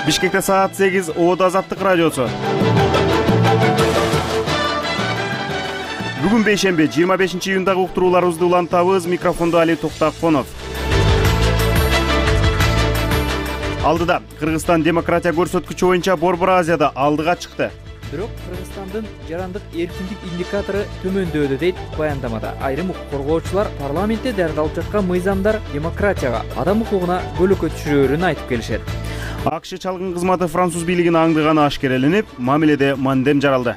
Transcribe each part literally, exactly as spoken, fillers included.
Бишкекте саат сегиз, Оодо Азаттык радиосу. Бүгүн бейшемби, жыйырма бешинчи июндагы уктурууларыбызды улантабыз. Микрофондо Али Токтаконов. Алдыда Кыргызстан демократия көрсөткүчү боюнча Борбор Азияда алдыга чыкты. Бирок Кыргызстандын жарандык эркиндик индикатору төмөндөөдө дейт баяндамада. Айрым укук коргоочулар парламентте даярдалып жаткан мыйзамдар демократияга, адам укугуна көлөкө түшүрөөрүн айтып келишет. АКШ чалгын кызматы француз бийлигин аңдыганы ашкереленип, мамиледе мандем жаралды.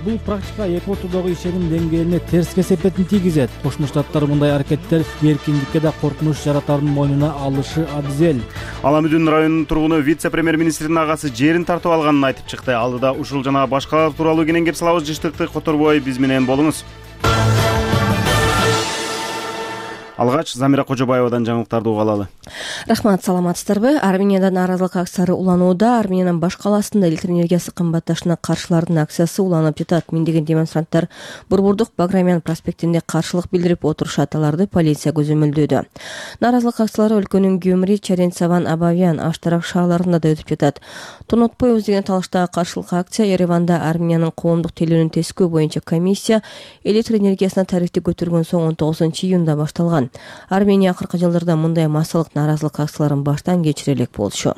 Бул практика эки ортодогу ишеним деңгээлине терс кесепетин тийгизет. Кошмо Штаттар мындай аракеттер эркиндикке да коркунуч жаратаардын мойнуна алышы абзел. Аламүдүн районунун тургуну вице-премьер-министрдин агасы жерин тартып алганын айтып чыкты. Алдыда ушул жана башкалар тууралуу кенен кеп салабыз. Жыштыкты которбой биз менен болуңуз. Алгач Замира Кожобаевадан жаңылыктарды уга алалы. Рахмат, саламатсыздарбы? Арменияда нааразылык акциялары уланууда. Армениянын баш калаасында электр энергиясы кымбатташына каршылардын акциясы уланып жатат. Миңдеген демонстранттар Борбордук Баграмян проспектинде каршылык билдирип отурушат. Аларды полиция көзөмөлдөөдө. Нааразылык акциялары өлкөнүн Гюмри, Чаренцаван, Абавян, Аштарак шаарларында да өтүп жатат. Тонотпойбуз деген талаштагы каршылык акция Ереванда Армениянын коомдук телөөнүн тескөө боюнча комиссия электр энергиясына тарифти көтөргөн соң он тогузунчу июнда башталган. Армения акыркы жылдарда мындай массалык нааразылык акцияларын баштан кечире элек болчу.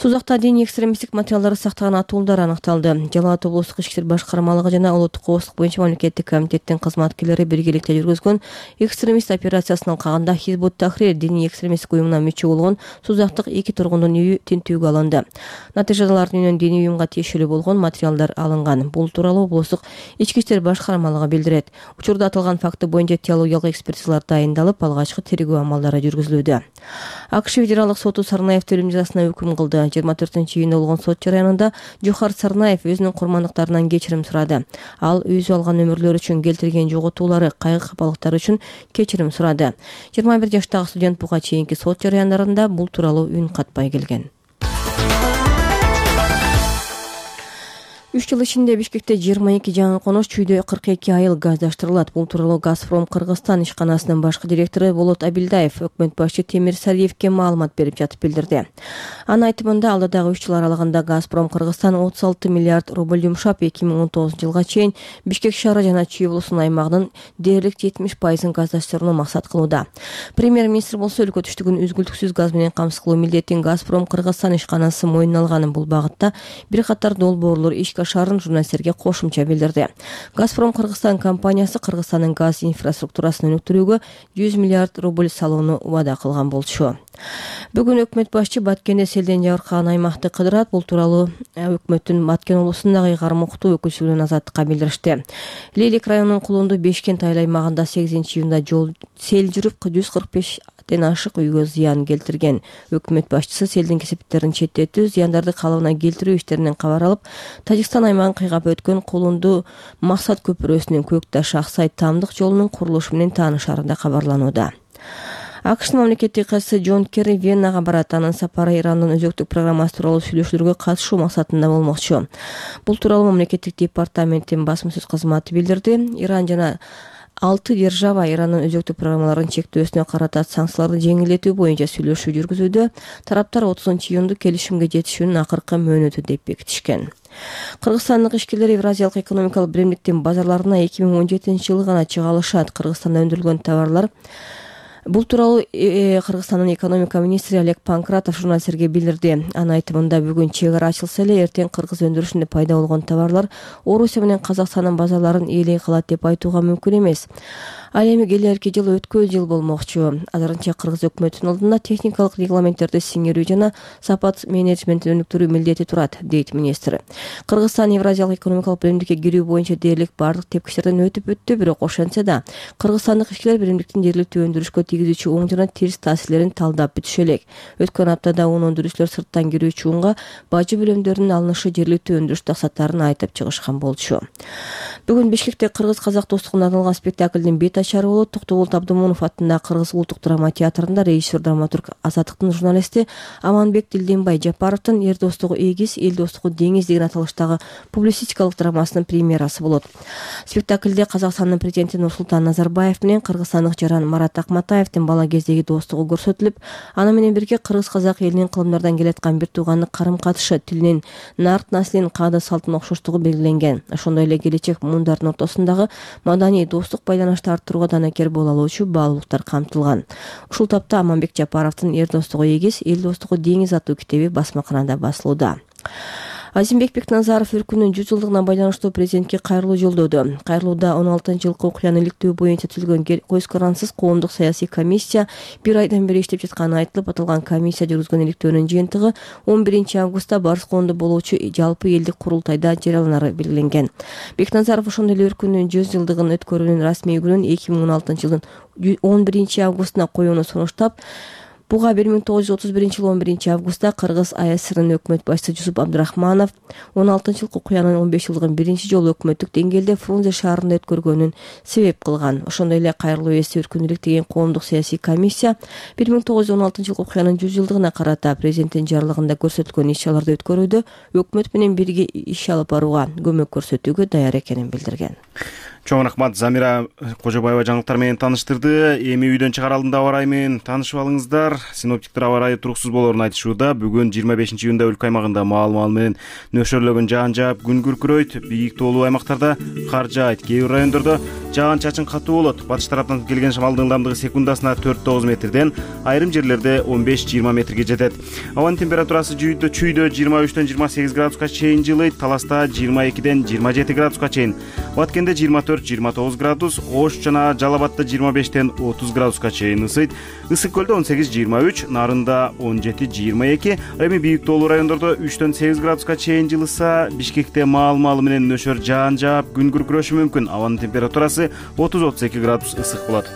Сузакта диний экстремисттик материалдарды сактаган атуулдар аныкталды. Жалал Абад облустук ички иштер башкармалыгы жана улуттук коопсуздук боюнча мамлекеттик комитеттин кызматкерлери биргеликте жүргүзгөн экстремист операциясынын алкагында Хизбут Тахрир диний экстремисттик уюмуна мүчө болгон сузактык эки тургундун үйү тинтүүгө алынды. Натыйжада алардын үйүнөн диний уюмга тиешелүү болгон материалдар алынган. Бул тууралуу облустук ички иштер башкармалыгы билдирет. Учурда аталган факты боюнча теологиялык экспертизалар дайындалып, алгачкы тергөө амалдары жүргүзүлүүдө. АКШ федералдык соту Сарнаевди өлүм жазасына өкүм кылды. жыйырма төртүнчү июнда болгон сот жарыянында Жохар Сарнаев өзүнүн курмандыктарынан кечирим сурады. Ал өзү алган өмүрлөр үчүн, келтирген жоготуулары, кайгы капалыктары үчүн кечирим сурады. жыйырма бир жаштагы студент буга чейинки сот жарыяндарында бул тууралуу үн катпай келген. үч жыл ичинде Бишкекте жыйырма эки жаңы конуш, чүйдө кырк эки айыл газдаштырылат. Бул тууралуу Газпром Кыргызстан ишканасынын башкы директору Болот Абилдаев өкмөт башчы Темир Сариевке маалымат берип жатып билдирди. Анын айтымында, алдыдагы үч жыл аралыгында Газпром Кыргызстан отуз алты миллиард рубль жумшап, эки миң он тогузунчу жылга чейин Бишкек шаары жана Чүй облусунун аймагынын дээрлик жетимиш пайызын газдаштырууну максат кылууда. Премьер-министр болсо өлкө түштүгүн үзгүлтүксүз газ менен камсыз кылуу милдетин Газпром Кыргызстан ишканасы мойнуна алганын, бул багытта бир катар долбоорлор иш шаарын журналисттерге кошумча билдирди. Газпром Кыргызстан компаниясы Кыргызстандын газ инфраструктурасын өнүктүрүүгө жүз миллиард рубль салууну убада кылган болчу. Бүгүн өкмөт башчы Баткенде селден жабыркаган аймакты кыдырат. Бул тууралуу өкмөттүн Баткен облусундагы ыйгарым уктуу өкүлчүлүгүнүн Азаттыкка билдиришти. Лейлик районунун Кулунду Бешкент айыл аймагында сегизинчи июнда жол сел жүрүп жүз кырк беш ашык үйгө зыян келтирген. Өкмөт башчысы селдин кесиптерин четтетүү, зыяндарды калыбына келтирүү иштеринен кабар алып, Тажикстан аймагын кыйгап өткөн Кулунду Максат көпүрөсүнүн Көкташ Аксай Тамдык жолунун курулушу менен таанышаарында кабарланууда. АКШнын мамлекеттик катчысы Джон Керри Веннага барат. Анын сапары Ирандын өзөктүк программасы тууралуу сүйлөшүүлөргө катышуу максатында болмокчу. Бул тууралуу мамлекеттик департаменттин басма сөз кызматы билдирди. Иран жана алты держава Ирандын өзөктүк программаларын чектөөсүнө карата санкцияларды жеңилдетүү боюнча сүйлөшүү жүргүзүүдө. Тараптар отузунчу июнду келишимге жетишүүнүн акыркы мөөнөтү деп бекитишкен. Кыргызстандык ишкерлер Евразиялык экономикалык биримдиктин базарларына эки миң он жетинчи жылы гана чыга алышат. Кыргызстанда өндүрүлгөн товарлар Бул тууралуу Кыргызстандын экономика министри Олег Панкратов журналисттерге билдирди. Анын айтымында, бүгүн чек ара ачылса эле, эртең кыргыз өндүрүшүндө пайда болгон товарлар Орусия менен Казакстандын базарларын ээлей калат деп айтууга мүмкүн эмес. Ал эми келерки жыл өткөн жыл болмокчу. Азырынча кыргыз өкмөтүнүн алдында техникалык регламенттерди сиңирүү жана сапат менеджментин өнүктүрүү милдети турат, дейт министр. Кыргызстан Евразиялык экономикалык биримдикке кирүү боюнча дээрлик бардык тепкичтерден өтүп өттү, бирок ошентсе да кыргызстандык ишкерлер биримдиктин жергиликтүү өндүрүшкө тийгизүүчү оң жана терс таасирлерин талдап бүтүшө элек. Өткөн аптада он өндүрүүчүлөр сырттан кирүүчү унга бажы бөлөмдөрүнүн алынышы жергиликтүү өндүрүш таксаттарын айтып чыгышкан болчу. Бүгүн Бишкекте кыргыз-казак достугуна арналган спектаклдин бет айтачары болот. Токтогул Абдымунов атындагы Кыргыз улуттук драма театрында режиссер драматург Азаттыктын журналисти Аманбек Дилденбай Жапаровдун Эр достугу эгиз, эл достугу деңиз деген аталыштагы публицистикалык драмасынын премьерасы болот. Спектаклде Казакстандын президенти Нурсултан Назарбаев менен кыргызстандык жаран Марат Акматаевдин бала кездеги достугу көрсөтүлүп, аны менен бирге кыргыз-казак элинин кылымдардан келаткан бир туугандык карым-катышы, тилинин, нарт наслинин каада салтынын окшоштугу белгиленген. Ошондой эле келечек мундардын ортосундагы маданий достук байланышты арттырууга данакер боло алуучу баалуулуктар камтылган. Ушул тапта Аманбек Жапаровдун Эр достугу эгиз, эл достугу деңиз аттуу китеби басмаканада басылууда. Азимбек Бекназаров өлкөнүн жүз жылдыгына байланыштуу президентке кайрылуу жолдоду. Кайрылууда он алтынчы жылкы окуяны иликтөө боюнча түзүлгөн көз карансыз коомдук саясий комиссия бир айдан бери иштеп жатканы айтылып, аталган комиссия жүргүзгөн иликтөөнүн жыйынтыгы он биринчи августта Барыс коомдо болуучу жалпы элдик курултайда жарыяланары белгиленген. Бекназаров ошондой эле өлкөнүн жүз жылдыгын өткөрүүнүн расмий күнүн эки миң он алтынчы жылдын он биринчи августуна коюуну сунуштап, буга бир миң тогуз жүз отуз биринчи жылы он биринчи августта Кыргыз АСРнын өкмөт башчысы Жусуп Абдрахманов он алтынчы жылкы окуянын он беш жылдыгын биринчи жолу өкмөттүк деңгээлде Фрунзе шаарында өткөргөнүн себеп кылган. Ошондой эле кайрылуу эси өркүн иликтеген коомдук саясий комиссия бир миң тогуз жүз он алтынчы жылкы окуянын жүз жылдыгына карата президенттин жарлыгында көрсөтүлгөн иш-чараларды өткөрүүдө өкмөт менен бирге иш алып барууга көмөк көрсөтүүгө даяр экенин билдирген. Чоң рахмат, Замира Кожобаева жаңылыктар менен таныштырды. Эми үйдөн чыгар алдында аба ырайы менен таанышып алыңыздар. Синоптиктер аба ырайы туруксуз болоорун айтышууда. Бүгүн жыйырма бешинчи июнда өлкө аймагында маал-маал менен нөшөрлөгөн жаан жаап, күн күркүрөйт. Бийик тоолуу аймактарда кар жаайт. Кээ бир райондордо жаан-чачын катуу болот. Батыш тараптан келген шамалдын ылдамдыгы секундасына төрт тогуз метрден, айрым жерлерде он беш жыйырма метрге жетет. Абанын температурасы жүйдө чүйдө жыйырма үчтөн жыйырма сегиз градуска чейин жылыйт. Таласта жыйырма экиден жыйырма жети градуска чейин. Баткенде жыйырма төрт жыйырма тогуз градус, Ош жана Жалал Абадта жыйырма бештен отуз градуска чейин ысыйт. Ысык көлдө он сегиз жыйырма үч, Нарында он жети жыйырма эки, эми бийик тоолуу райондордо үчтөн сегиз градуска чейин жылыса, Бишкекте маал-маалы менен нөшөр жаан жаап, күн күркүрөшү мүмкүн. Абанын температурасы отуз отуз эки градус ысык болот.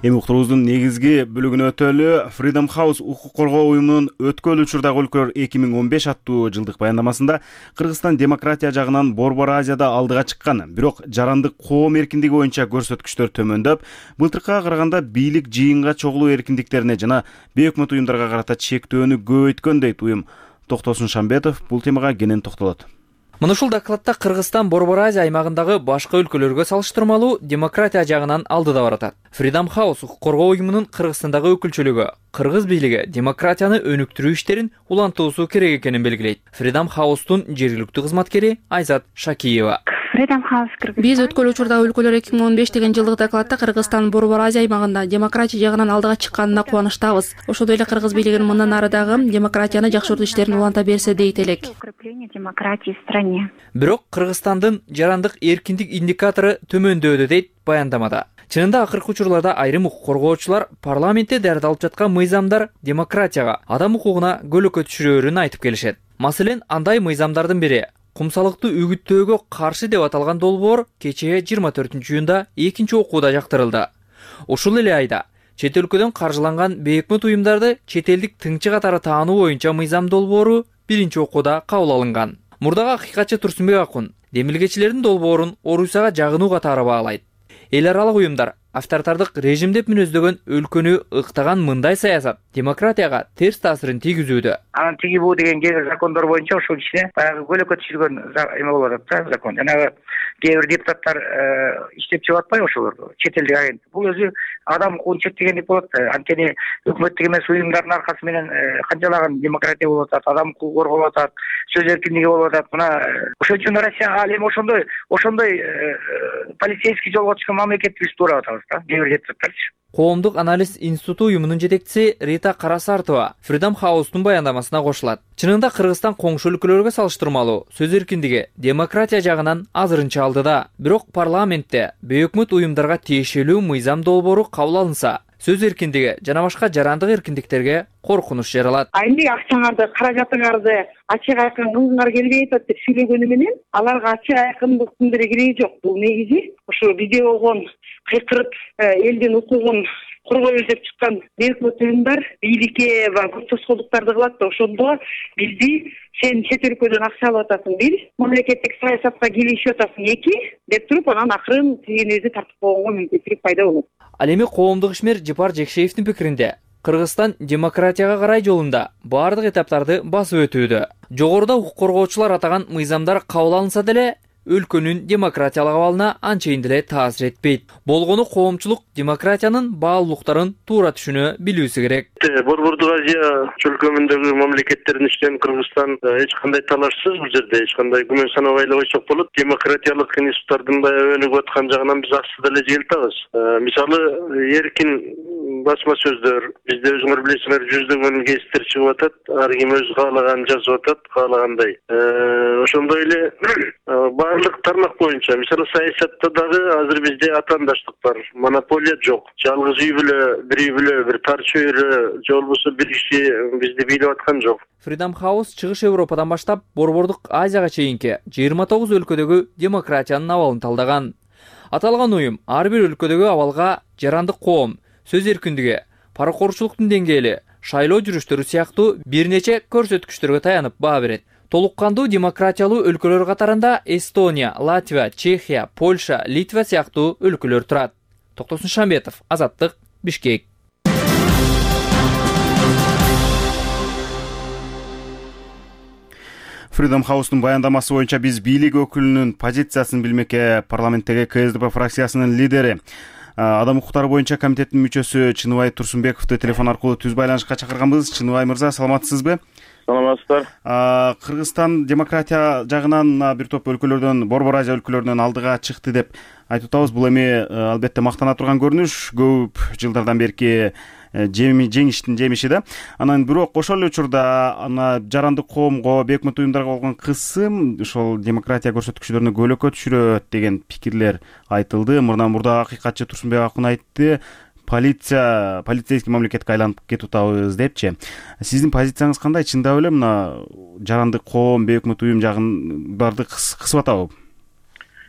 Эми уктуруубуздун негизги бөлүгүнө өтөлү. Freedom House укук коргоо уюмунун өткөл учурдагы өлкөлөр эки миң он беш аттуу жылдык баяндамасында Кыргызстан демократия жагынан Борбор Азияда алдыга чыккан, бирок жарандык коом эркиндиги боюнча көрсөткүчтөр төмөндөп, былтыркыга караганда бийлик жыйынга чогулуу эркиндиктерине жана бейөкмөт уюмдарга карата чектөөнү көбөйткөн дейт уюм. Токтосун Шамбетов бул темага кенен токтолот. Мына ушул докладта Кыргызстан Борбор Азия аймагындагы башка өлкөлөргө салыштырмалуу демократия жагынан алдыда баратат. Freedom House укук коргоо уюмунун Кыргызстандагы өкүлчүлүгү кыргыз бийлиги демократияны өнүктүрүү иштерин улантуусу керек экенин белгилейт. Freedom House'тун жергиликтүү кызматкери Айзат Шакиева. Биз өткөл учурдагы өлкөлөр эки миң он беш деген жылдык докладта Кыргызстан Борбор Азия аймагында демократия жагынан алдыга чыкканына кубанычтабыз. Ошондой эле кыргыз бийлигинин мындан ары дагы демократияны жакшыртуу иштерин уланта берсе дейт элек. Бирок Кыргызстандын жарандык эркиндик индикатору төмөндөөдө дейт баяндамада. Чынында акыркы учурларда айрым укук коргоочулар парламентте даярдалып жаткан мыйзамдар демократияга, адам укугуна көлөкө түшүрөөрүн айтып келишет. Маселен, андай мыйзамдардын бири кумсалыктуу үгүттөөгө каршы деп аталган долбоор кечээ жыйырма төртүнчү июнда экинчи окууда жактырылды. Ушул эле айда чет өлкөдөн каржыланган бейөкмөт уюмдарды чет элдик тыңчы катары таануу боюнча мыйзам долбоору биринчи окууда кабыл алынган. Мурдагы акыйкатчы Турсунбек Акун демилгечилердин долбоорун Орусияга жагынуу катары баалайт. Эл аралык уюмдар авторитардык режим деп мүнөздөгөн өлкөнү ыктаган мындай саясат демократияга терс таасирин тийгизүүдө. Анан тиги бул деген кээ бир закондор боюнча ошол ичине баягы көлөкө түшүргөн эме болуп атат да, закон. Жанагы кээ бир депутаттар иштеп чыгып атпайбы ошолорду, чет элдик агент. Бул өзү адам укугун чектегендик болот. Анткени өкмөттүк эмес уюмдардын аркасы менен канчалаган демократия болуп атат, адам укугу корголуп атат, сөз эркиндиги болуп атат. Мына ошон үчүн Россия ал эми ошондой ошондой полицейский жолго чыккан мамлекетти туурап атабыз. Коомдук анализ институту уюмунун жетекчиси Рита Карасартова Freedom House'тун баяндамасына кошулат. Чынында Кыргызстан коңшу өлкөлөргө салыштырмалуу сөз эркиндиги демократия жагынан азырынча алдыда. Бирок парламентте бейөкмөт уюмдарга тиешелүү мыйзам долбоору кабыл алынса, сөз эркиндиги жана башка жарандык эркиндиктерге коркунуч жаралат. Айымды акчаңарды, каражатыңарды ачык айкын кылгыңар келбей атат деп сүйлөгөнү менен аларга ачык айкындыктын деле кереги жок. Бул негизи ошо биде болгон кыйкырып элдин укугун коргойбуз деп чыккан бейөкмөт уюмдар бийликке баягы көп тоскоолдуктарды кылат да ошондо бизди сен чет өлкөдөн акча алып атасың бир, мамлекеттик саясатка кийлешип атасың эки деп туруп анан акырын тигинибизди тартып койгонго мүмкүнчүлүк пайда болот. Ал эми коомдук ишмер Жапар Жекшеевдин пикиринде Кыргызстан демократияга карай жолунда баардык этаптарды басып өтүүдө. Жогоруда укук коргоочулар атаган мыйзамдар кабыл алынса деле өлкөнүн демократиялык абалына анчейин деле таасир этпейт. Болгону коомчулук демократиянын баалуулуктарын туура түшүнө билүүсү керек. Борбордук Азия чөлкөмүндөгү мамлекеттердин ичинен Кыргызстан эч кандай талашсыз бул жерде эч кандай күмөн санабай эле койсок болот. Демократиялык институттардын баягы өнүгүп аткан жагынан биз аксы деле желтабыз. Мисалы, эркин басма сөздөр, бизде өзүңөр билесиңер жүздөгөн гезиттер чыгып атат, ар ким өз каалаганын жазып атат, каалагандай. Ошондой эле барлык тармак боюнча, мисалы саясатта дагы азыр бизде атаандаштык бар, монополия жок. Жалгыз үй бүлө, бир үй бүлө, бир тар чөйрө, же болбосо бир киши бизди бийлеп аткан жок. Freedom House Чыгыш Европадан баштап Борбордук Азияга чейинки жыйырма тогуз өлкөдөгү демократиянын абалын талдаган. Аталган уюм ар бир өлкөдөгү абалга жарандык коом, сөз эркиндиги, паракорчулуктун деңгээли, шайлоо жүрүштөрү сыяктуу бир нече көрсөткүчтөргө таянып баа берет. Толук кандуу демократиялуу өлкөлөр катарында Эстония, Латвия, Чехия, Польша, Литва сыяктуу өлкөлөр турат. Токтосун Шамбетов, Азаттык, Бишкек. Freedom House'нун баяндамасы боюнча биз бийлик өкүлүнүн позициясын билмекке. Парламенттеги КСДП фракциясынын лидери, Адам укуктары боюнча комитеттин мүчөсү Чыныбай Турсунбековду телефон аркылуу түз байланышка чакырганбыз. Чыныбай мырза, саламатсызбы? Саламатсыздар. Кыргызстан демократия жагынан бир топ өлкөлөрдөн, Борбор Азия өлкөлөрүнөн алдыга чыкты деп айтып атабыз. Бул эми албетте мактана турган көрүнүш, көп жылдардан берки жеңиштин жемиши да. Анан бирок ошол эле учурда ана жарандык коомго, бейөкмөт уюмдарга болгон кысым ошол демократия көрсөткүчтөрүнө көөлөккө түшүрөт деген пикирлер айтылды. Мурдан мурда акыйкатчы Турсунбек Акын айтты, полиция полицейский мамлекетке айланып кетип атабыз депчи. Сиздин позицияңыз кандай? Чындап эле мына жарандык коом, бейөкмөт уюм жагын барды кысып атабы?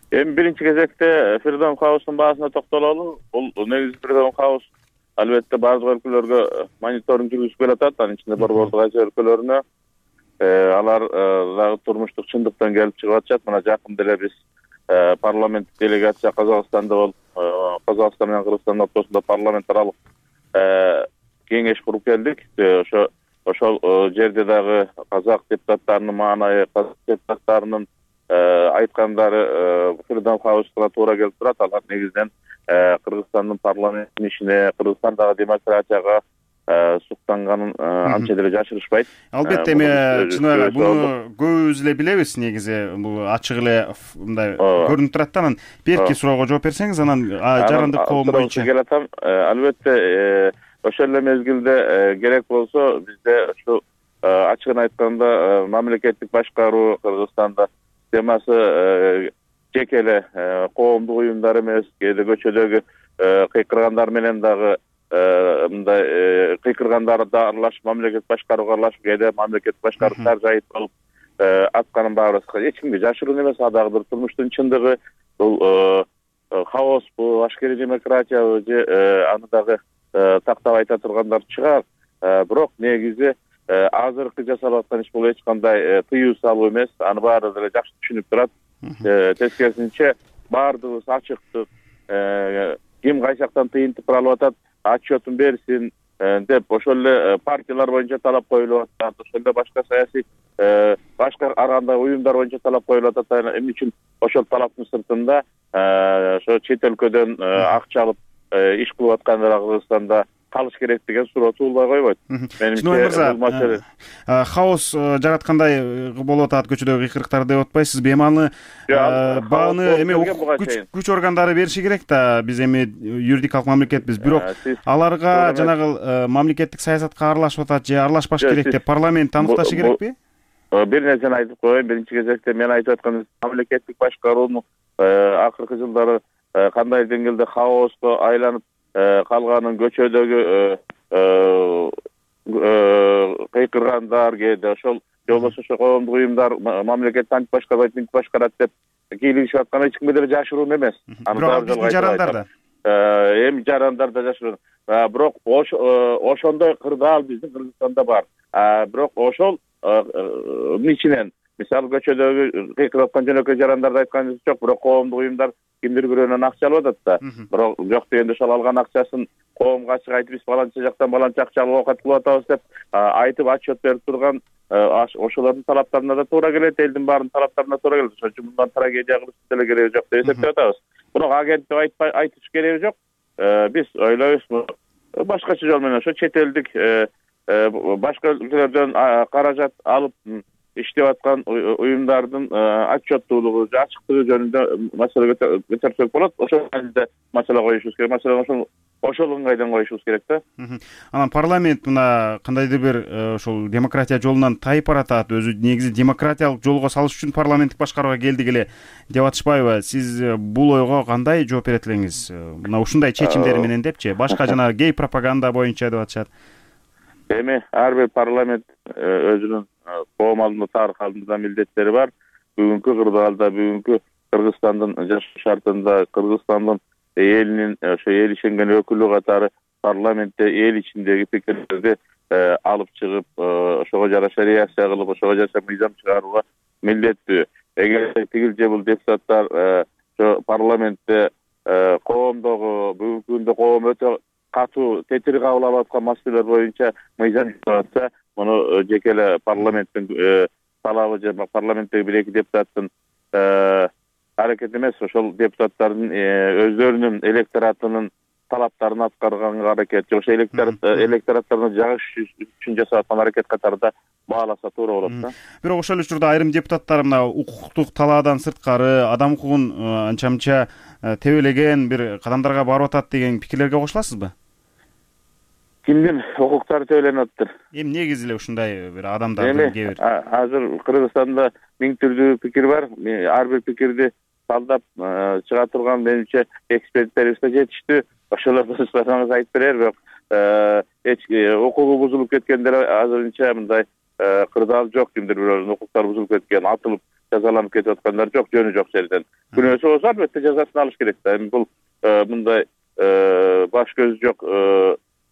Эми биринчи кезекте Freedom House'нун баасына токтололу. Бул негизи Freedom House албетте бардык өлкөлөргө мониторинг жүргүзүп келатат, анын ичинде Борбордук Азия өлкөлөрүнө. Алар дагы турмуштук чындыктан келип чыгып атышат. Мына жакын деле биз парламенттик делегация Казакстанда болуп, Казакстан менен Кыргызстан ортосунда парламент аралык кеңеш куруп келдик. Ошо ошол жерде дагы казак депутаттарынын маанайы, казак депутаттарынын айткандары Freedom House'га туура келип турат. Алар негизинен Кыргызстандын парламенттин ишине, Кыргызстандагы демократияга суктанганын анча деле жашырышпайт. Албетте эми Чыныбай буну көбүбүз эле билебиз, негизи бул ачык эле мындай көрүнүп турат да. Анан берки суроого жооп берсеңиз, анан жарандык коом боюнча келатам. Албетте ошол эле мезгилде керек болсо бизде ушу ачыгын айтканда мамлекеттик башкаруу Кыргызстанда темасы жеке эле коомдук уюмдар эмес, кээде көчөдөгү кыйкыргандар менен дагы мындай кыйкыргандар да аралашып, мамлекет башкарууга аралашып, кээде мамлекет башкарууга жайыт болуп атканын баарыбыз эч кимге жашыруун эмес. А дагы бир турмуштун чындыгы, бул хаоспу, ашкерий демократиябы же аны дагы тактап айта тургандар чыгар. Бирок негизи азыркы жасалып аткан иш бул эч кандай тыюу салуу эмес. Аны баары деле жакшы түшүнүп турат. Тескерисинче баардыгыбыз ачыктык, ким кайсы жактан тыйынтып алып атат, отчетун берсин деп ошол эле партиялар боюнча талап коюлуп атат. Ошол эле башка саясий башка ар кандай уюмдар боюнча талап коюлуп атат. Эмне үчүн ошол талаптын сыртында ошо чет өлкөдөн акча алып иш кылып аткандар Кыргызстанда калыш керек деген суроо туулбай койбойт. Менимче хаос жараткандай болуп атат, көчөдөгү кыйкырыктар деп атпайсызбы? Эми аны бааны эми күч органдары бериши керек да. Биз эми юридикалык мамлекетпиз, бирок аларга жанагы мамлекеттик саясатка аралашып атат же аралашпаш керек деп парламент аныкташы керекпи? Бир нерсени айтып коеюн. Биринчи кезекте мен айтып аткан мамлекеттик башкаруунун акыркы жылдары кандай деңгээлде хаоска айланып калганын, көчөдөгү кыйкыргандар, кээде ошол же болбосо ошо коомдук уюмдар мамлекетти антип башкарбайт, мынтип башкарат деп кийлигишип атканы эч кимге деле жашыруун эмес. Бирок биздин жарандар да эми жарандарда жашаган, бирок ошондой кырдаал биздин Кыргызстанда бар. Бирок ошол ичинен мисалы көчөдөгү кыйкырып аткан жөнөкөй жарандарды айтканыбыз жок, бирок коомдук уюмдар кимдир бирөөнөн акча алып атат да. Бирок жок дегенде ошол алган акчасын коомго ачык айтып, биз баланча жактан баланча акча алып оокат кылып атабыз деп айтып отчет берип турган ошолордун талаптарына да туура келет, элдин баарынын талаптарына туура келет. Ошон үчүн мындан трагедия кылыштын деле кереги жок деп эсептеп атабыз. Бирок агенттик айтпай айтыш кереги жок. Биз ойлойбуз, башкача жол менен ошо чет элдик башка өлкөлөрдөн каражат алып иштеп аткан уюмдардын отчеттуулугу, ачыктыгы жөнүндө маселе көтөрсөк болот. Ошол мааниде маселе коюшубуз керек. Маселени ошол ошол ыңгайдан коюшубуз керек да. Анан парламент мына кандайдыр бир ошол демократия жолунан тайып баратат, өзү негизи демократиялык жолго салыш үчүн парламенттик башкарууга келдик эле деп атышпайбы? Сиз бул ойго кандай жооп берет элеңиз? Мына ушундай чечимдери менен депчи, башка жана гей пропаганда боюнча деп атышат. Эми ар бир парламент өзүнүн коом алдында, тарых алдында милдеттери бар. Бүгүнкү кырдаалда, бүгүнкү Кыргызстандын жашоо шартында, Кыргызстандын элинин ошо эл ишенген өкүлү катары парламентте эл ичиндеги пикирлерди алып чыгып, ошого жараша реакция кылып, ошого жараша мыйзам чыгарууга милдеттүү. Эгер тигил же бул депутаттар ошо парламентте коомдогу бүгүнкү күндө коом өтө катуу тетир кабыл алып аткан маселелер боюнча мыйзам чыгарса, муну жеке эле парламенттин талабы же парламенттеги бир эки депутаттын аракети эмес, ошол депутаттардын өздөрүнүн электоратынын талаптарын аткарганга аракет, же ошо электораттарына жагыш үчүн жасап аткан аракет катарында бааласа туура болот да. Бирок ошол эле учурда айрым депутаттар мына укуктук талаадан сырткары адам укугун анча-мынча тебелеген бир кадамдарга барып атат деген пикирлерге кошуласызбы? Кимдин укуктары тебеленип атыптыр? Эми негизи эле ушундай бир адамдардын кээ бир. Азыр Кыргызстанда миң түрдүү пикир бар. Ар бир пикирди талдап чыга турган менимче эксперттерибиз да жетиштүү. Ошолорду сузсаңыз айтып берер, бирок эч укугу бузулуп кеткендер азырынча мындай кырдаал жок. Кимдир бирөөнүн укуктары бузулуп кеткен, атылып жазаланып кетип аткандар жок, жөнү жок жерден. Күнөөсү болсо албетте жазасын алыш керек да. Эми бул мындай баш көзү жок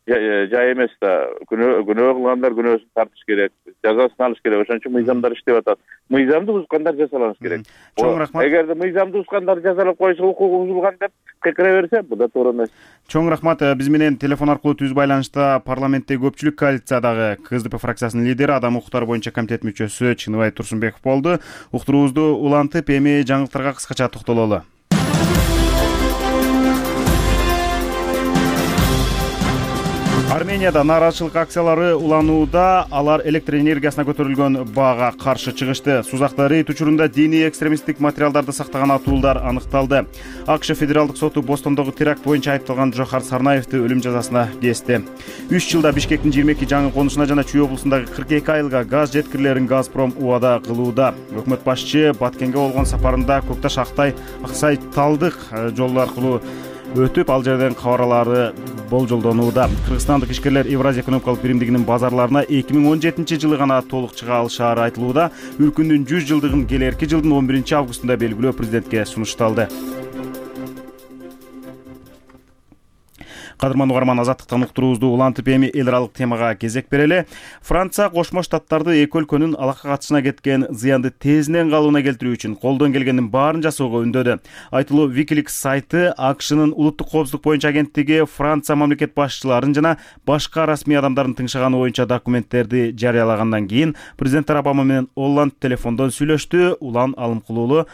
жай эмес да. Күнөө кылгандар күнөөсүн тартыш керек, жазасын алыш керек. Ошон үчүн мыйзамдар иштеп атат. Мыйзамды бузгандар жазаланыш керек. Чоң рахмат. Эгерде мыйзамды бузгандар жазалап коюлса, укугу бузулган деп кыйкыра берсе, бул да туура эмес. Чоң рахмат. Биз менен телефон аркылуу түз байланышта парламенттеги көпчүлүк коалициядагы КСДП фракциясынын лидери, адам укуктары боюнча комитет мүчөсү Чыныбай Турсунбеков болду. Уктуруубузду улантып, эми жаңылыктарга кыскача токтололу. Арменияда нааразычылык акциялары уланууда. Алар электр энергиясына көтөрүлгөн баага каршы чыгышты. Сузакта рейд учурунда диний экстремисттик материалдарды сактаган атуулар аныкталды. АКШ федералдык соту Бостондогу теракт боюнча айыпталган Жохар Сарнаевди өлүм жазасына кести. үч жылда Бишкектин жыйырма эки жаңы конушуна жана Чүй облусундагы кырк эки айылга газ жеткирилерин Газпром убада кылууда. Өкмөт башчы Баткенге болгон сапарында Көкташ Актай Аксай Талдык жолу аркылуу өтүп, ал жерден кабарлары болжолдонууда. Кыргызстандык ишкерлер Евразия экономикалык биримдигинин базарларына эки миң он жетинчи жылы гана толук чыга алышаары айтылууда. Өлкөнүн жүз жылдыгын келерки жылдын он биринчи августунда белгилөө президентке сунушталды. Кадырман угарман, азаттыктан уктуруубузду улантып, эми эл аралык темага кезек берели. Франция Кошмо Штаттарды эки өлкөнүн алакка катышына кеткен зыянды тезинен калыбына келтирүү үчүн колдон келгендин баарын жасоого үндөдү. Айтылуу Wikileaks сайты АКШнын улуттук коопсуздук боюнча агенттиги Франция мамлекет башчыларын жана башка расмий адамдардын тыңшаганы боюнча документтерди жарыялагандан кийин президент Обама менен Олланд телефондон сүйлөштү. Улан Алымкулуулу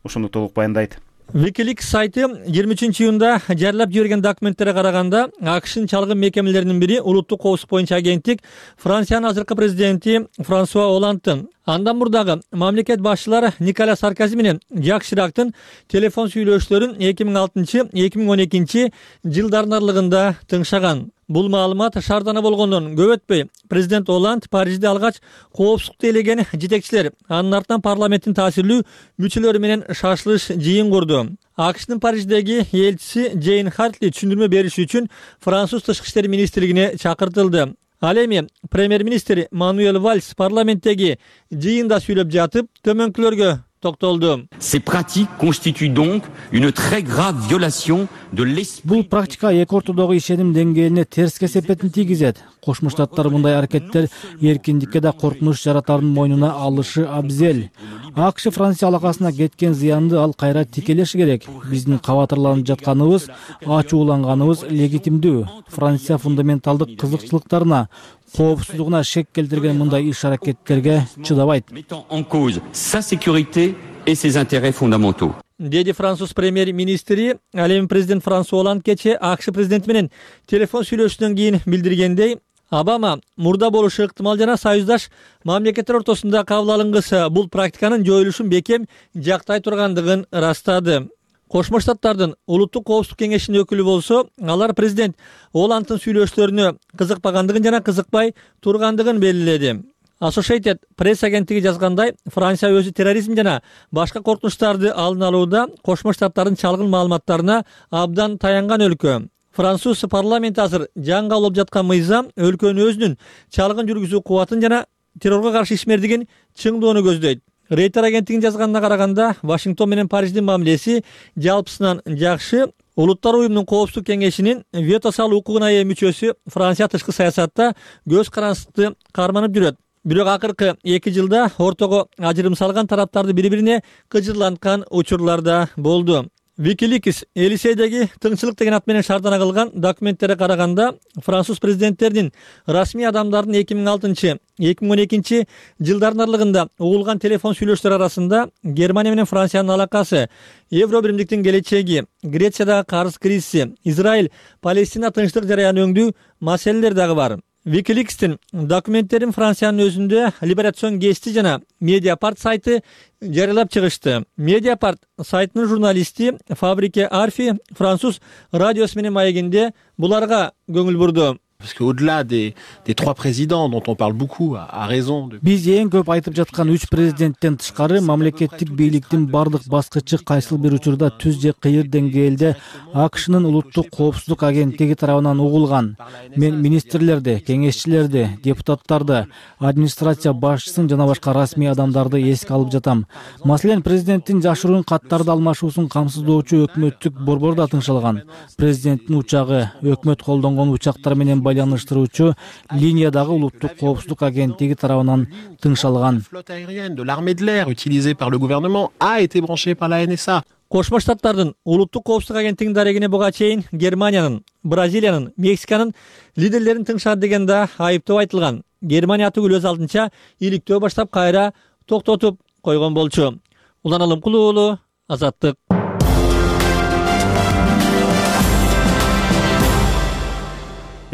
ошону толук баяндайт. Wikileaks сайты жыйырма үчүнчү июнда жарыялап жиберген документтерге караганда, АКШнын чалгын мекемелеринин бири улуттук коопсуздук боюнча агенттик Франциянын азыркы президенти Франсуа Олландтын, андан мурдагы мамлекет башчылары Николя Саркози менен Жак Ширактын телефон сүйлөшүүлөрүн эки миң алтынчы — эки миң он экинчи жылдардын аралыгында тыңшаган. Бул маалымат шаардана болгондон көп өтпөй президент Олланд Парижде алгач коопсуздукту элеген жетекчилер, анын артынан парламенттин таасирлүү мүчөлөрү менен шашылыш жыйын курду. АКШнын Париждеги элчиси Джейн Хартли түшүндүрмө бериш үчүн Француз тышкы иштер министрлигине чакыртылды. Ал эми премьер-министр Мануэль Вальс парламенттеги жыйында сүйлөп жатып, төмөнкүлөргө токтолду. Ces pratiques constituent donc une très grave violation de l'esprit. Бул практика эки ортодогу ишеним деңгээлине терс кесепетин тийгизет. Кошмо Штаттар мындай аракеттер эркиндикке да коркунуч жаратардын мойнуна алышы абзел. АКШ Франция алакасына кеткен зыянды ал кайра тикелеши керек. Биздин кабатырланып жатканыбыз, ачууланганыбыз легитимдүү. Франция фундаменталдык кызыкчылыктарына, коопсуздугуна шек келтирген мындай иш аракеттерге чыдабайт. Mettant en cause sa sécurité et ses intérêts fondamentaux. Деди француз премьер-министри, ал эми президент Франсуа Оланд кече АКШ президенти менен телефон сүйлөшүүдөн кийин билдиргендей, Обама мурда болушу ыктымал жана союздаш мамлекеттер ортосунда кабыл алынгысы бул практиканын жоюлушун бекем жактай тургандыгын ырастады. Кошмо Штаттардын улуттук коопсуздук кеңешинин өкүлү болсо, алар президент Оландтын сүйлөшүүлөрүнө кызыкпагандыгын жана кызыкпай тургандыгын белгиледи. Associated Press агенттиги жазгандай, Франция өзү терроризм жана башка коркунучтарды алдын алууда Кошмо Штаттардын чалгын маалыматтарына абдан таянган өлкө. Француз парламенти азыр жаңы алып жаткан мыйзам өлкөнүн өзүнүн чалгын жүргүзүү кубатын жана террорго каршы ишмердигин чыңдоону көздөйт. Рейтер агенттигинин жазганына караганда, Вашингтон менен Париждин мамилеси жалпысынан жакшы. Улуттар уюмунун коопсуздук кеңешинин вето салуу укугуна ээ мүчөсү Франция тышкы саясатта көз карандыкты карманып жүрөт. Бирок акыркы эки жылда ортого ажырым салган тараптарды бири-бирине кыжырланткан учурлар да болду. Wikileaks Элисейдеги тыңчылык деген ат менен шаардана кылган документтерге караганда, француз президенттеринин расмий адамдардын эки миң алтынчы — эки миң он экинчи жылдардын аралыгында угулган телефон сүйлөшүүлөр арасында Германия менен Франциянын алакасы, Евро биримдиктин келечеги, Грециядагы карыз кризиси, Израиль Палестина тынчтык жарыяны өңдүү маселелер дагы бар. Wikileaks'тин документтерин Франциянын өзүндө Либерацион гезити жана Mediapart сайты жарыялап чыгышты. Mediapart сайтынын журналисти Фабрике Арфи француз радиосу менен маегинде буларга көңүл бурду. Parce qu'au-delà des, des trois présidents dont on parle beaucoup, à, à raison de... Биз эң көп айтып жаткан үч президенттен тышкары мамлекеттик бийликтин бардык баскычы кайсыл бир учурда түз же кыйыр деңгээлде АКШнын улуттук коопсуздук агенттиги тарабынан угулган. Мен министрлерди, кеңешчилерди, депутаттарды, администрация башчысын жана башка расмий адамдарды эске алып жатам. Маселен, президенттин жашыруун каттарды алмашуусун камсыздоочу өкмөттүк борбор да тыңшалган. Президенттин учагы, өкмөт колдонгон учактар менен байланыштыруучу линиядагы улуттук коопсуздук агенттиги тарабынан тыңшалган. Flotte aérienne de l'armée de l'air utilisée par le gouvernement a été branchée par la Н С А. Кошмо Штаттардын улуттук коопсуздук агенттигинин дарегине буга чейин Германиянын, Бразилиянын, Мексиканын лидерлерин тыңшады деген да айыптоо айтылган. Германия түгүл өз алдынча иликтөө баштап кайра токтотуп койгон болчу. Улан Алымкул уулу, Азаттык.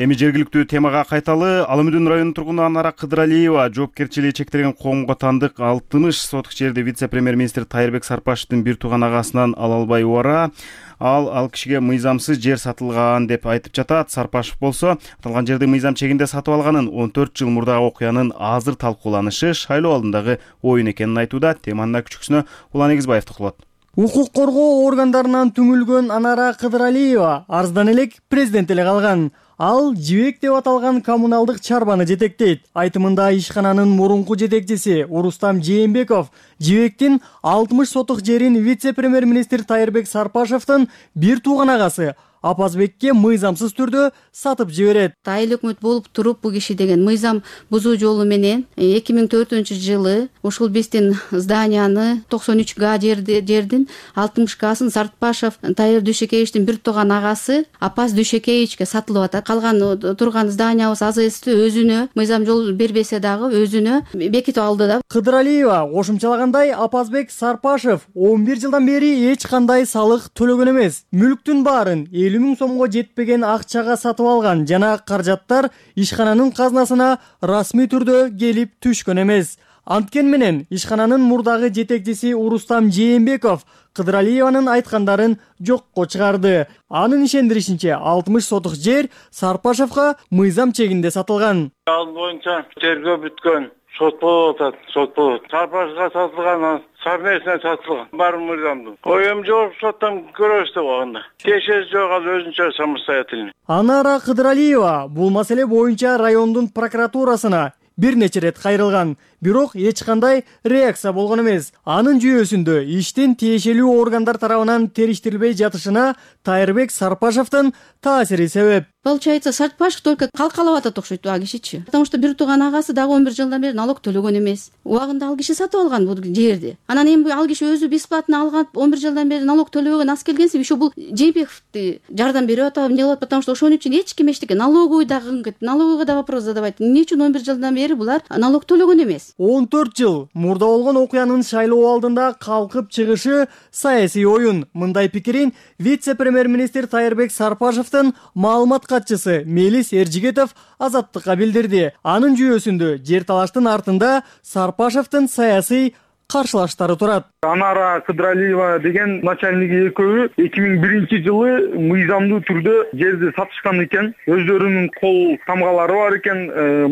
Эми жергиликтүү темага кайталы. Алымүдүн районунун тургуну Анара Кыдыралиева жоопкерчилиги чектелген коомго тандык алтымыш сотук жерди вице-премьер-министр Тайырбек Сарпашевдин бир тууган агасынан ала албай убара. Ал ал кишиге мыйзамсыз жер сатылган деп айтып жатат. Сарпашев болсо аталган жерди мыйзам чегинде сатып алганын он төрт жыл мурдагы окуянын азыр талкууланышы шайлоо алдындагы оюн экенин айтууда. Теманын күчкүсүнө Улан Эгизбаев токулот. Укук коргоо органдарынан түңүлгөн Анара Кыдыралиева арыздан элек президент эле калган. Ал Жибек деп аталган коммуналдык чарбаны жетектейт. Айтымында ишкананын мурунку жетекчиси Урустам Жээнбеков Жибектин алтымыш сотук жерин вице-премьер-министр Тайырбек Сарпашевдин бир тууган агасы Апазбекке мыйзамсыз түрдө сатып жиберет. Айыл өкмөт болуп туруп бул киши деген мыйзам бузуу жолу менен эки миң төртүнчү жылы ушул биздин зданияны токсон үч га жердин алтымыш гасын Сарпашев Тайыр Дүйшекеевичтин бир тууган агасы Апаз Дүйшекеевичке сатылып атат. Калган турган зданиябыз АЗСти өзүнө мыйзам жол бербесе дагы өзүнө бекитип алды да. Кыдыралиева кошумчалагандай, Апазбек Сарпашев он бир жылдан бери эч кандай салык төлөгөн эмес. Мүлктүн баарын элүү миң сомго жетпеген акчага сатып алган жана каражаттар ишкананын казнасына расмий түрдө келип түшкөн эмес. Анткени менен ишкананын мурдагы жетекчиси Урустам Жээнбеков Кыдыралиеванын айткандарын жокко чыгарды. Анын ишендиришинче алтымыш сотук жер Сарпашевга мыйзам чегинде сатылган. Ал боюнча тергөө бүткөн. Сот болуп атат, сот болот. Сарпашевга сатылган, совместно сатылган. Бар мыйзамды. Оюм жок, соттон көрөбүз деп алганда. Тиешеси жок, ал өзүнчө самостоятельный. Анара Кыдыралиева бул маселе боюнча райондун прокуратурасына бир нече ирет кайрылган, бирок эч кандай реакция болгон эмес. Анын жүйөсүндө иштин тиешелүү органдар тарабынан териштирилбей жатышына Тайырбек Сарпашевдин таасири себеп. Получается, Сарпашев только калкалап атат окшойт а кишичи. Потому что бир тууган агасы дагы он бир жылдан бери налог төлөгөн эмес. Убагында ал киши сатып алган бул жерди. Анан эми ал киши өзү бесплатно алган, он бир жылдан бери налог төлөгөн аз келгенсип, еще бул Жээнбековди жардам берип атабы, эмне кылат, потому что ошон үчүн эч ким эчтеке налоговый дагы налоговыйга да вопрос задавайт. Эмне үчүн он бир жылдан бери булар налог төлөгөн эмес? он төрт жыл мурда болгон окуянын шайлоо алдында калкып чыгышы саясий оюн. Мындай пикирин вице-премьер-министр Тайырбек Сарпашевдин маалымат катчысы Мелис Эржигетов Азаттыкка билдирди. Анын жүйөсүндө жер талаштын артында Сарпашевдин саясий каршылаштары турат. Анара Кыдралиева деген начальниги экөө эки миң биринчи жылы мыйзамдуу түрдө жерди сатышкан экен. Өздөрүнүн кол тамгалары бар экен,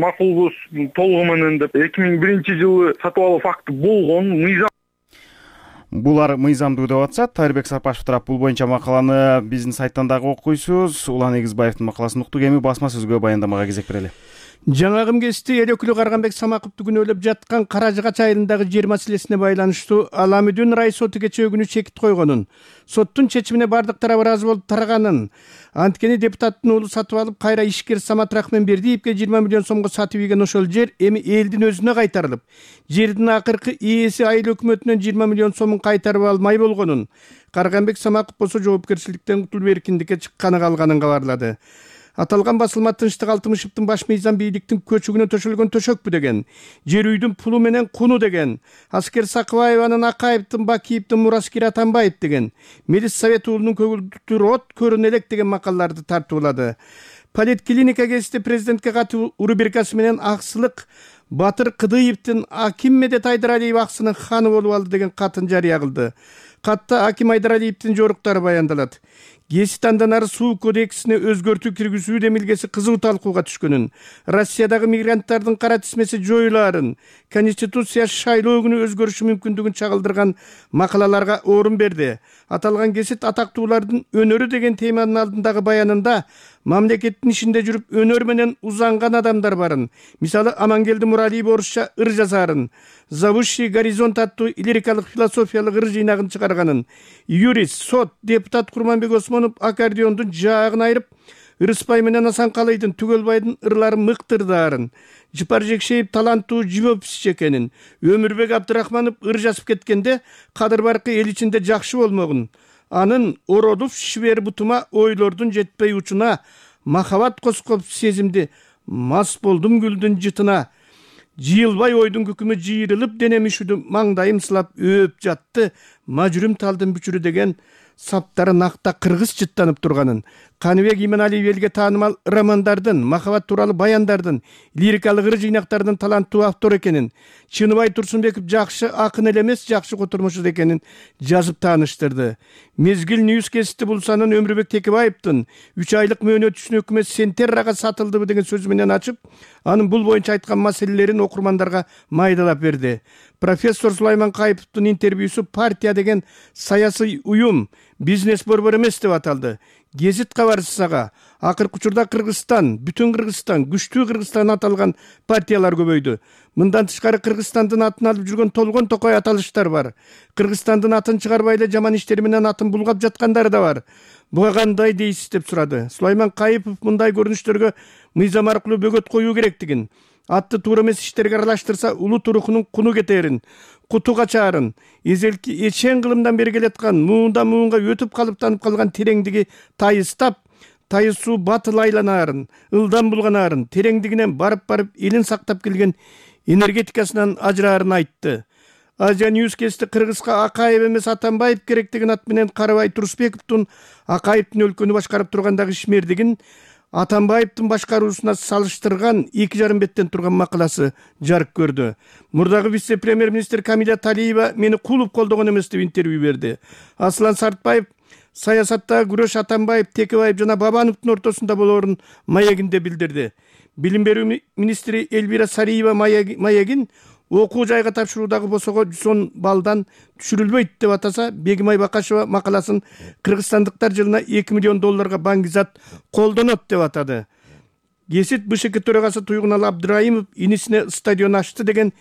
макулбуз толугу менен деп эки миң биринчи жылы сатып алуу факты болгон. Мыйзам Булар мыйзамдуу деп атышат. Тайырбек Сарпашев тарап бул боюнча макаланы биздин сайттан дагы окуйсуз. Улан Эгизбаевдин макаласын уктук. Эми басма сөзгө баяндамага кезек берели. Жаңагым кести эл өкүлү Карганбек Самаковду күнөөлөп жаткан Кара Жыгач айылындагы жер маселесине байланыштуу Ала Мүдүн рай соту кечээ күнү чекит койгонун, соттун чечимине бардык тарап ыраазы болуп тараганын, анткени депутаттын уулу сатып алып кайра ишкер Самат Рахманбердиевге жыйырма миллион сомго сатып ийген ошол жер эми элдин өзүнө кайтарылып, жердин акыркы ээси айыл өкмөтүнөн жыйырма миллион сомун кайтарып алмай болгонун, Карганбек Самаков болсо жоопкерчиликтен кутулуп эркиндикке чыкканы калганын кабарлады. Аталган басылма Тынчтык Алтымышевдин баш мыйзам бийликтин көчүгүнө төшөлгөн төшөкпү деген, жер үйдүн пулу менен куну деген, Аскер Сакыбаеванын Акаевдин Бакиевдин Мураскер Атамбаев деген, Мелис Совет уулунун көгүлдүр от көрүнө элек деген макалаларды тартуулады. Политклиника кезинде президентке катуу рубрикасы менен Аксылык Батыр Кыдыевдин Аким Медет Айдаралиев аксынын ханы болуп алды деген катын жарыя кылды. Катта Аким Айдаралиевдин жоруктары баяндалат. Геси танданары суу кодексине өзгөртүү киргизүү демилгеси кызуу талкууга түшкөнүн, Россиядагы мигранттардын кара тизмеси жоюлаарын, Конституция шайлоо күнү өзгөрүшү мүмкүндүгүн чагылдырган макалаларга орун берди. Аталган кесит атактуулардын өнөрү деген теманын алдындагы баянында мамлекеттин ишинде жүрүп өнөр менен узанган адамдар барын. Мисалы Амангелди Муралиев орусча ыр жазарын, Зовущий горизонт аттуу лирикалык философиялык ыр жыйнагын чыгарганын, юрист, сот, депутат Курманбек Осмонов аккордеондун жаагын айырып, Ырыспай менен Асанкалыйдын Түгөлбайдын ырларын мыктырдаарын, Жыпар Жекшеев таланттуу живописчи экенин, Өмүрбек Абдырахманов ыр жазып кеткенде Кадыр Баркы эл ичинде жакшы болмогун, анын ородуп шибер бутума ойлордун жетпей учуна, махабат коскоп сезимди, мас болдум гүлдүн жытына, жыйылбай ойдун күкүмү жыйрылып денем үшүдү, маңдайым сылап өп жатты, мажүрүм талдын бүчүрү деген саптары накта кыргыз жыттанып турганын, Каныбек Иманалиев элге таанымал романдардын, махабат тууралуу баяндардын, лирикалык ыр жыйнактардын таланттуу автор экенин, Чыныбай Турсунбеков жакшы акын эле эмес, жакшы котурмуш экенин жазып тааныштырды. Мезгил Ньюс гезити бул санын Өмүрбек Текебаевдин үч айлык мөөнөтүчүн өкмөт Сентеррага сатылдыбы деген сөзү менен ачып, анын бул боюнча айткан маселелерин окурмандарга майдалап берди. Профессор Сулайман Кайыповдун интервьюсу партия деген саясий уюм, бизнес борбор эмес деп аталды. Гезит кабарчысага акыркы учурда Кыргызстан, бүтүн Кыргызстан, күчтүү Кыргызстан аталган партиялар көбөйдү. Мындан тышкары Кыргызстандын атын алып жүргөн Толгон Токой аталыштар бар. Кыргызстандын атын чыгарбай эле жаман иштери менен атын булгап жаткандары да бар. Буга кандай дейсиз деп сурады. Сулайман Кайыпов мындай көрүнүштөргө мыйзам аркылуу бөгөт коюу керектигин, атты туура эмес иштерге аралаштырса улут урухунун куну кетерин, куту качаарын, эзелки эчен кылымдан бери келаткан муунда муунга өтүп калыптанып калган тереңдиги тайыстап, тайысуу батыл айланаарын, ылдам булганаарын, тереңдигинен барып-барып элин сактап келген энергетикасынан ажыраарын айтты. Азия Ньюс гезити Кыргызга Акаев эмес Атамбаев керек деген ат менен Карабай Турсбековдун Акаевдин өлкөнү башкарып тургандагы ишмердигин Атамбаевдин башкаруусуна салыштырган эки жарым беттен турган макаласы жарык көрдү. Мурдагы вице-премьер-министр Камиля Талиева мени кулуп колдогон эмес деп интервью берди. Аслан Сартбаев саясаттагы күрөш Атамбаев, Текебаев жана Бабановдун ортосунда болоорун маегинде билдирди. Билим берүү министри Элвира Сариева маегин окуу жайга тапшыруудагы босого жүз он балдан түшүрүлбөйт деп атаса, Бегимай Бакашева макаласын кыргызстандыктар жылына эки миллион долларга баңгизат колдонот деп атады. кесит БШК төрагасы Туйгуналы Абдырайымов инисине стадион ачты деген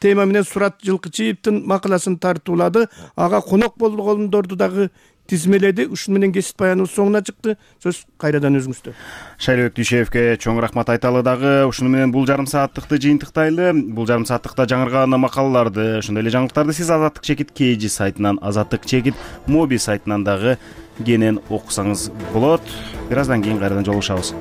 тема менен Сурат Жылкычиевдин макаласын тартуулады. Ага конок болгондорду дагы тизмеледи. Ушун менен кесит баяныбыз соңуна чыкты. Сөз кайрадан өзүңүздө. Шайлыбек Дүйшеевке чоң рахмат айталы дагы. Ушуну менен бул жарым сааттыкты жыйынтыктайлы. Бул жарым сааттыкта жаңырган макалаларды, ошондой эле жаңылыктарды сиз Азаттык чекит Кж сайтынан, Азаттык чекит Моби сайтынан дагы кенен окусаңыз болот. Бир аздан кийин кайрадан жолугушабыз.